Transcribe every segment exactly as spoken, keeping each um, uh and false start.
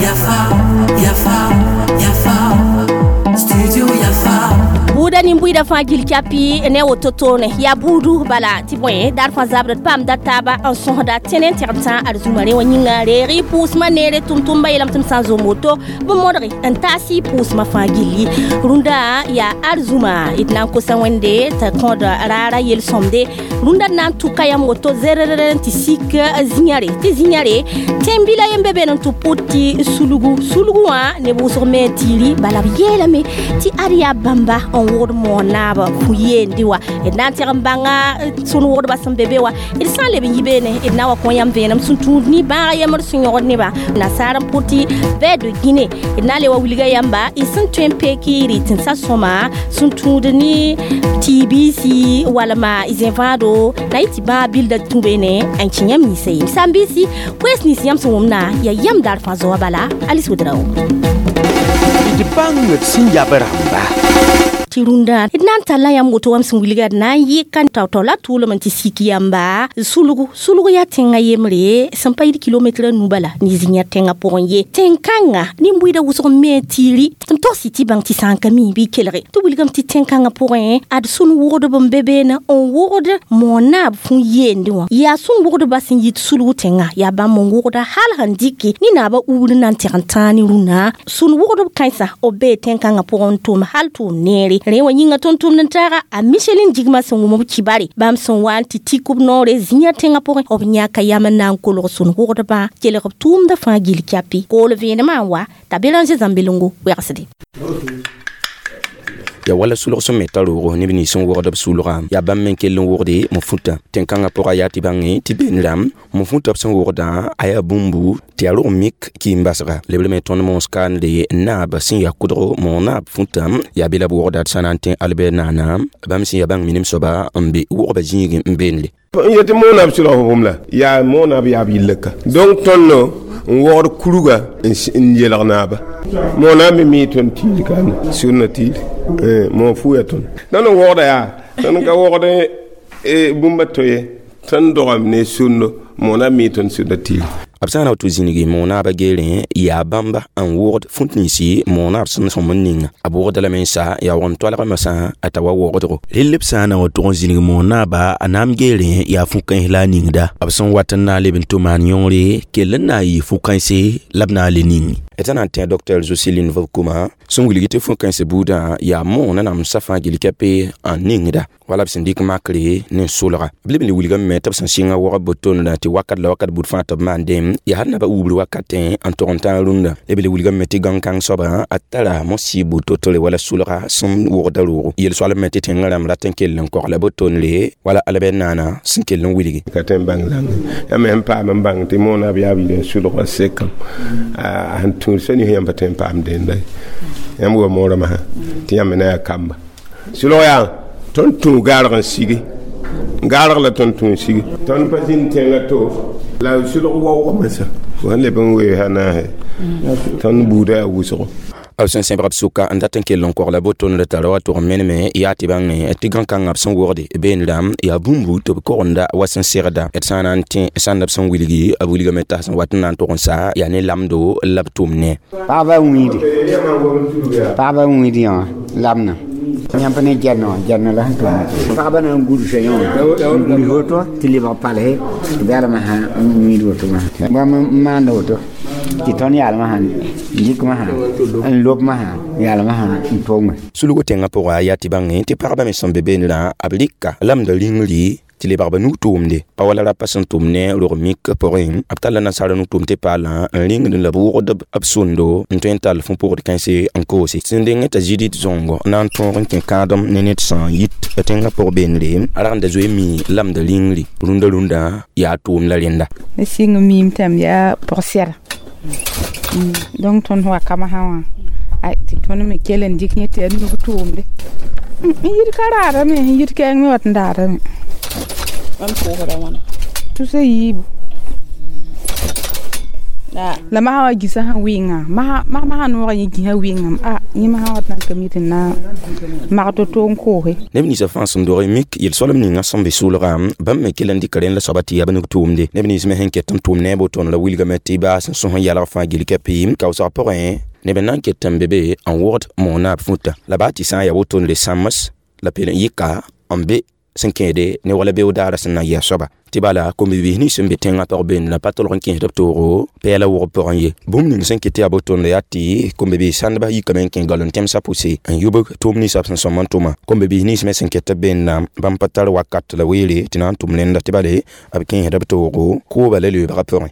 Yafa, Yafa, Yafa, Studio Yafa. Buuda nin-buiida fãa gil kyapi ne woto toone yaa buudu bala tɩ bõe daar fãa zabd paamda taaba n sõsda tẽne n tẽgd sã ad zũma rẽ wã yĩnga reeg y pʋʋsmã neere tʋm-tʋmba yeelame tɩ m sã n zom woto bɩ modge n taas y pʋʋsmã fãa gilli rũndã yaa arzũma d na n kosa wẽnde t'a kõod raara yel-sõmde rũndã d na n tʋka yãmb woto zerrr n tɩ sik zĩyãre tɩ zĩyãre tẽn-bila yem be beene n tɩ pʋt tɩ sulgu sulgu wã neb wʋsg me n tiiri bala b yeelame tɩ ad yaa bãmba n wʋgd moon naab fu yeendi wa d na n tẽg n bãnga sũn wʋgdbã sẽn be be wã d sã n leb n yi beene d na wa kõ yãmb vẽenem sẽn tũud ne bãag yembr sẽn yõgd nebã nasaar n pʋt tɩ vɛ de Guinée d na n le wa wilga yãmba y sẽn tõe n peek y rɩ tẽnsã sõma sẽn tũud ne tɩ-biisi walma y zẽ-vãado na yɩ tɩ bãag bilda tũ beene n kẽ yãmb ninsã ye sãn-biisi koees nins yãmb sẽn wʋmna yaa yãmb daar fãa zoa bala Alice Ouedraogo d bãng d sẽn yab rãmba tɩ rũndã d na n talla yãmb woto wam sẽn wilga d na n yɩka tao-tao la tʋʋlem n tɩ sik yãmba sulgu sulg yaa tẽngã yembre sẽn pa yɩd kilometrã nu bala ne zĩ-yã tẽngã pʋgẽ ye tẽn-kãngã nin-buiidã wʋsg me n tiiri tɩ m togs tɩ bãng tɩ sã n ka mi bɩ kelge tɩ wilgame tɩ tẽn-kãngã pʋgẽ ad sũn-wʋgdb n be beene n wʋgd moon-naab fũ yeende wã yaa sũn-wʋgdbã sẽn yit sulg tẽngã yaa bãmb n wʋgda hal sẽn dɩke ne naabã ubr na n tẽg n tãag ne rũnã sũn-wʋgdb kãensã b bee tẽn-kãngã pʋgẽ n tʋm hal tʋʋm neere rẽ wã yĩnga tʋm-tʋmd n taaga a Michelin jigmã sẽn wʋm b kibare bãmb sẽn wa n tɩ tik b noore zĩ-yã tẽngã pʋgẽ b yãka yam n na n kolg sũn-wʋgdbã kelg b tʋʋmdã fãa gil kyapi kool vẽenemã n wa t'a Béranger Zãmbelengo wɛgsde ya wala sulg sẽn me ta roogo neb nins sẽn wogd b sulga yaa bãmb me kell n wogde m fũta tẽn-kãngã pʋga yaa tɩ bãnge tɩ been rãmb m fũta b sẽn wogdã a yaa bũmbu tɩ yaa rog mik kɩɩm-basga lebr me tõnd moons kaande naab sẽn yaa kʋdgo moon-naab fũta yaa be la b wogda d sã na n tẽ Albert naana bãmb sẽn yaa bãng minim soaba n be wogba zĩigẽ n beenle n yetɩ moonab sʋlg bũmb la yaa moonab yaa b yillka donc tõndo n wogd kuruga n yelg naaba moonab me mi tõnd tiir kaana sʋrna tiir mo fuya tõnd tõnd n wogda yaa tõnd ka wogd bũmba to ye tõnd dogame ne sũndo moonab mi tõnd sũnda tiir b sã n na tɩ zĩnigi moon-naabã geerẽ yaa bãmba n wogd fũt ninsi moon-naab sẽn sõm n ninga b wogda lame n sa yaa wʋgn toalgame sã a ta wa wogdgo rell b sã n na wa tʋg n zĩnig moon-naaba a naam geerẽ yaa fu-kãens la a ningda b sẽn wat n na n leb n tʋ maan yõore kell n na n yɩ fu-kãense la b na n le ning d sã na n tẽ docteur Joseline Vobkuma sẽn wilg tɩ fu-kãens buudã yaa moonã namsã fãa gil kɛpe n ningda wala b sẽn dɩk makre ne solga b leb n le wilgame me tɩ b sẽn sɩnga wagb botonda tɩ wakat la wakat bud fãa tɩ b maandem yaa hal naba ubr wakatẽ n tʋg n tãag rũndã leb le wilgame me tɩ gãn-kãng soaba a tara mo-sɩ bu-totore wala sulga sẽn wogda roogo yel-soalb me tɩ tẽngã rãmb rat n kell n kogla botonre wala Albert naana sẽn kell n wilgi ka tõe n bãng zãnga yãmb sẽn paam n bãng tɩ moonab yaa b yil n sulga sekam a sẽn tũud sã nins yãmb pa tõe n paam dẽnda yãmb wa moorã masã tɩ yãmb na yaa kamba sulg yaa tõnd tũ gaarg n sigi gaarg la tõnd tũ n sigi tõnd pa zĩnd tẽngã to la sulg waoogame sã fo sẽn leb n wees a naase tõnd buudã yaa wʋsgo b sẽn sẽbg b sʋka n dat n kell n kogla botonda tara wa tʋg n meneme yaa tɩ bãnge tɩ gãn-kãngã b sẽn wogde been rãmb yaa bũmbu tɩ b kogenda wa sẽn segda d sã n na n tẽ sãnda b sẽn wilgi b wilgame t'a sẽn wat n na n tʋg n sa yaa ne lamdo la b tʋm ne paɣaba wĩidi paɣaba wĩidi wã lamna yãmb ne gɛrnã wã gɛrnã la sẽn tʋm paɣaba na n gursa yã wã n gurs woto tɩ lebg palse tɩ bɛlmã sã n wĩid woto wã bãmb n maanda woto tɩ tõnd yaalmã sã dɩkmã sã n lobmã sã yaalmã sã n tʋʋme sulgo tẽngã pʋga yaa tɩ bãnge tɩ pagba me sẽn be beenrã b rɩka lamda rĩngri tɩ lebg b nug-tʋʋmde pa wala rapa sẽn tʋm ne rog mik pʋgẽ b talla nasaara nug-tʋʋm tɩ paalã n rĩngd la b wʋgd b sũndo n tõe n tall fũ-pʋgd kãense n koose sẽn deng t'a Judith Zongo na n tõog n kẽ kãadem ne ned sã n yit tẽngã pʋg beenre a rag n da zoe mi lamda rĩngri rũndã rũndã yaa tʋʋm la rẽnda ne sɩng miim tãm yaa pʋg-sɛda donc tõnd wakame sã wã ay tɩ tõnd me kell n dɩk yẽ tɩ yaa nug-tʋʋmde n yit ka raadame n yit kɛɛng me wat n daadame Bãmb pʋʋsda wãna tusa yiibu La masã wa gĩsã sẽn wɩnga masã noogã yẽ gĩsã wɩngame a yẽ masã wat na n ka mi tɩ na mag to-to n koose. Neb ninsã fãa sẽn dog mik yel-soalem ninga sẽn be sʋʋlga bãmb me kell n dɩka rẽnd la soaba tɩ yaa b nig tʋʋmde neb nins me sẽn ket n tʋʋm ne a wotone la wilgame tɩ baas n sõs n yalg fãa gill kɛpɩ kaoosg pʋgẽ neb n na n ket n be be n wogd moonab futa la baa tɩ sã n yaa wotone sãms la pel n yɩka n be sẽn kẽede ne wala beoog daara sẽn na n yɩ a soaba tɩ bala kom-bibiis nins sẽn be tẽngã pag beende la pa tolg n kẽesd b toogo pɛɛla wʋgb pʋgẽ ye bũmb ning sẽn ket tɩ yaa botonda yaa tɩ kom-bibiis sãndbã yikame n kẽ galon tẽmsã pʋse n yubg tʋʋm ninsã b sẽn sõm n tʋma kom-bibiis nins me sẽn ket b beenda bãmb pa tar wakat la weere tɩ na n tʋm rẽnda tɩ bale b kẽesd b toogo kooba la leoobgã pʋgẽ.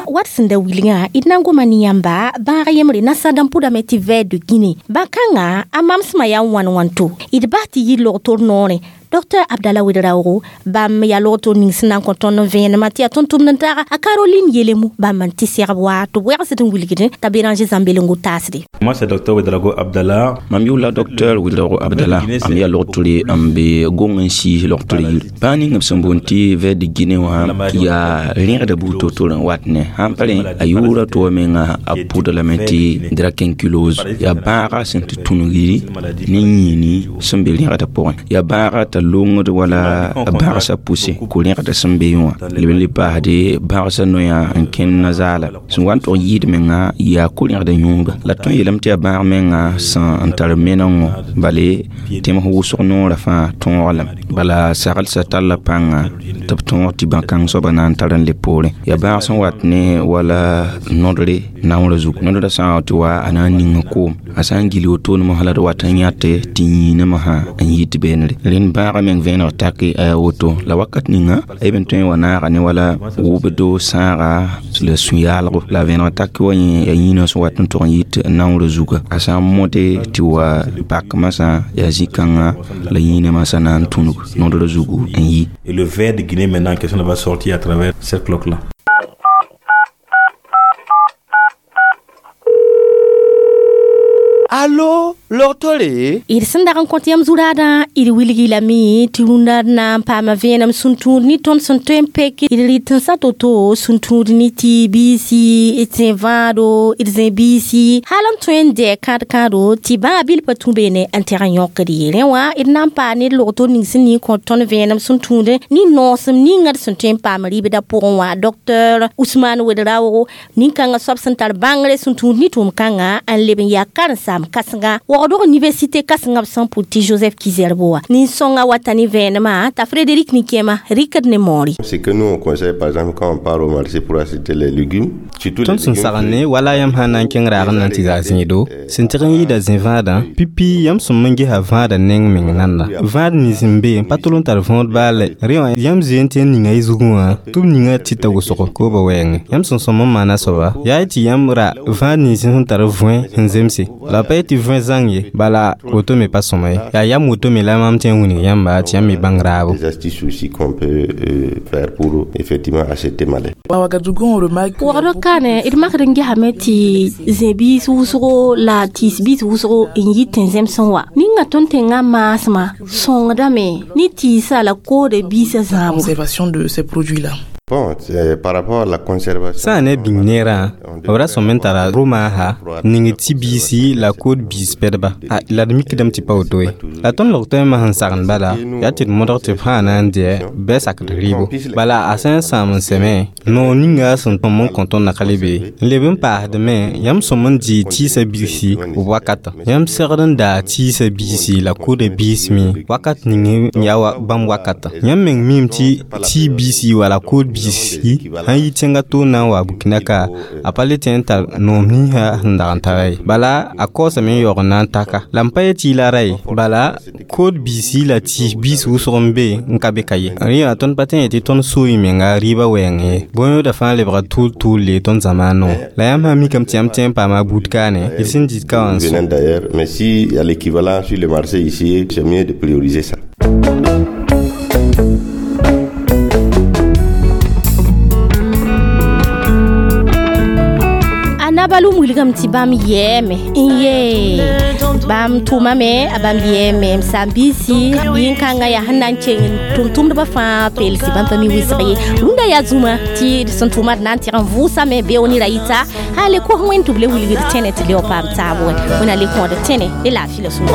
Wat sẽn da wilgã d na n goma ne yãmba bãag yembre nasã n pʋdame tɩ ver de Guinée bã-kãngã a mamsmã yaa n wãn wãnto d bas tɩ yɩ log-tor noorẽ Docteur Abdallah Ouedraogo bãmb yaa log-tor ning sẽn na n kõ tõnd n vẽenemã tɩ yaa tʋm-tʋmd n taaga a Caroline Yelemo bãmb n tɩ segb wa tɩ b wɛgsd n wilgd t'a Béranger Zãmbelengo taasde. Moi, c'est docteur Ouedraogo Abdallah. Mam yʋʋla docteur Ouedraogo Abdallah am yaa log-tore n be gong n siis log-tor yir bãag ning b sẽn boond tɩ ver de Guinée wã yaa rẽgda buud to-to n wat ne sãn pa rẽ a yʋʋra to menga a pʋda lame tɩ dracunculose yaa bãaga sẽn tɩ tũnugri ne yĩini sẽn be rẽgda pʋgẽ yaa bãaga t'a longd wala a bãgsã pʋse ko-rẽgda sẽn be wã leb n le paasde bãgsã noyã n kẽnd nazaala sẽn wa n tog n yɩɩd menga yaa ko-rẽgda yũuga la tõe n yeelame tɩ yaa bãag menga sẽn n tar menengo bale tẽms wʋsg noorã fãa tõog lame bala saglsã talla pãnga tɩ b tõog tɩ bã-kãng soaba na n tar n le poorẽ yaa bãag sẽn wat ne wala nodre naoorã zugu nodrã sã n wa tɩ wa a na n ning koom a sã n gil wotone mosã la d wat n yãte tɩ yĩinã mosã n yit beenre rẽnd bãagã meng vẽeneg take a yaa woto la wakat ninga a yeb n tõe n wa naaga ne wala wʋbdo sãaga la sũ-yaalgo la vẽeneg take wa yẽ yaa yĩinã sẽn wat n tog n yit naoorã zuga a sã n mõde tɩ wa pak masã yaa zĩ-kãngã la yĩinã masã na n tũnug nodrã zugu n yi. Et le ver de Guinée maintenant en question va sortir à travers cette cloque-là. Allo, log-tore d sẽn dag n kõt yãmb zu-raadã d wilg lame tɩ rũndã d na n paama vẽenem sẽn tũud ne tõnd sẽn tõe n pek d rɩt n sa to-to sẽn tũud ne tɩ biisi d zẽ vãado d zẽ biisi hal n tõe n dɛɛ kãad-kãado tɩ bãag bil pa tũ beene n tɛg n yõkd ye rẽ wã d na n paa ne d log-tor ning sẽn ning kõ tõnd vẽenem sẽn tũud ne noosem ninga d sẽn tõe n paam rɩbdã pʋgẽ wã docteur Ousmane Ouedraogo nin-kãngã soab sẽn tar bãngre sẽn tũud ne tʋʋm-kãngã n leb n yaa karen-saam kãsenga waoogdg université kãsengã b sẽn pʋd tɩ Joseph Kizerbo wã nin-sõngã wata ne vẽenemã t'a Frédéric Nikema rɩkd ne moore. Ce que nous on conseille par exemple quand on part au marché pour acheter les légumes, surtout Tõnd sẽn sagn ne wala yãmb sã n na n kẽng raag n na n tɩ zaa zĩido sẽn tɩg n yɩɩda zĩ-vãadã pipi yãmb sõm n gesa vãadã neng meng nanda vãad nins n be n pa tol n tar võod baa lɛ rẽ wã yãmb zoe n tɩ n ninga y zugẽ wã tɩ b ninga tɩta wʋsgo kooba wɛɛngẽ yãmb sẽn sõm n maana soaba yaa y tɩ yãmb ra vãad nins sẽn tar võe sẽn zemse la pa tɩ võe zãng ye bala woto me pa sõma ye yaa yam woto me la mam tɩ n wilg yãmba tɩ yãmb me bãng raabo. Des astuces aussi qu'on peut euh, faire pour effectivement acheter malais. Waoogd kaane d makd n gesame tɩ zẽ-biis wʋsgo la tɩɩs-biis wʋsgo n yɩ tẽn-zẽmsẽ wa ninga tõnd tẽngã maasmã sõngdame ne tɩɩsã la koodã biisã zãabo. Conservation de ces produits-là. Bon, c'est par rapport à la conservation. Sã n ne bĩng neerã b ra sõm n tara rʋ-maasa ning tɩ biisi la kood biis pɛdba la d mikdame tɩ pa woto ye la tõnd log tõe n mas n sagend bala yaa tɩ d modg tɩ b fãa na n dɩɛ bɩ sakd rɩɩbo bala a sã n sãam n sẽme noor ninga sẽn tõm n kõ tõnd nakale be n leb n paasdme yãmb sõm n dɩ tɩɩsã biisi b wakatã yãmb segd n daa tɩɩsã biisi la koodã biis me wakat ning n yaa bãmb wakatã yãmb meng miime tɩ tɩ biisi wala kood biisi sãn yi tẽngã toor na n wa Burkina ka a pa le tẽ n tar noom ninsã sẽn dag n tara ye bala a kaoosame n yaoog n na n taka la m pa ye tɩ y la ra ye bala kood biisi la tɩɩs biis wʋsg n be n ka be ka ye rẽ yaa tõnd pa tẽ ye tɩ tõnd soo y menga rɩɩbã wɛɛng ye bõe-yooda fãa lebga tʋʋl tʋʋl le tõnd zamaanẽ wã la yãmb sã n mikame tɩ yãmb tẽ n paama buud kaane d sẽn dɩt ka wã n Venant d'ailleurs, mais s'il y a l'équivalent sur le marché ici, c'est mieux de prioriser ça. A nabalum wilgame tɩ bãmb yɛɛme n yee. Bãmb tʋmame, a bãmb yɛɛme m saam-biisi yĩn-kãngã yaa sẽn na n keng tʋm-tʋmdbã fãa peelsi. Bãmb pa mi wɩsg ye. Rũndã yaa zũma tɩ d sẽn tʋma d na n tɩg n vʋʋsame beoog ne ra yita sã le kos Wẽnd tɩ b le wilgd tẽne tɩ leo paam taab wɛ. Wẽnna le kõod tẽne ne laafɩ la sũur.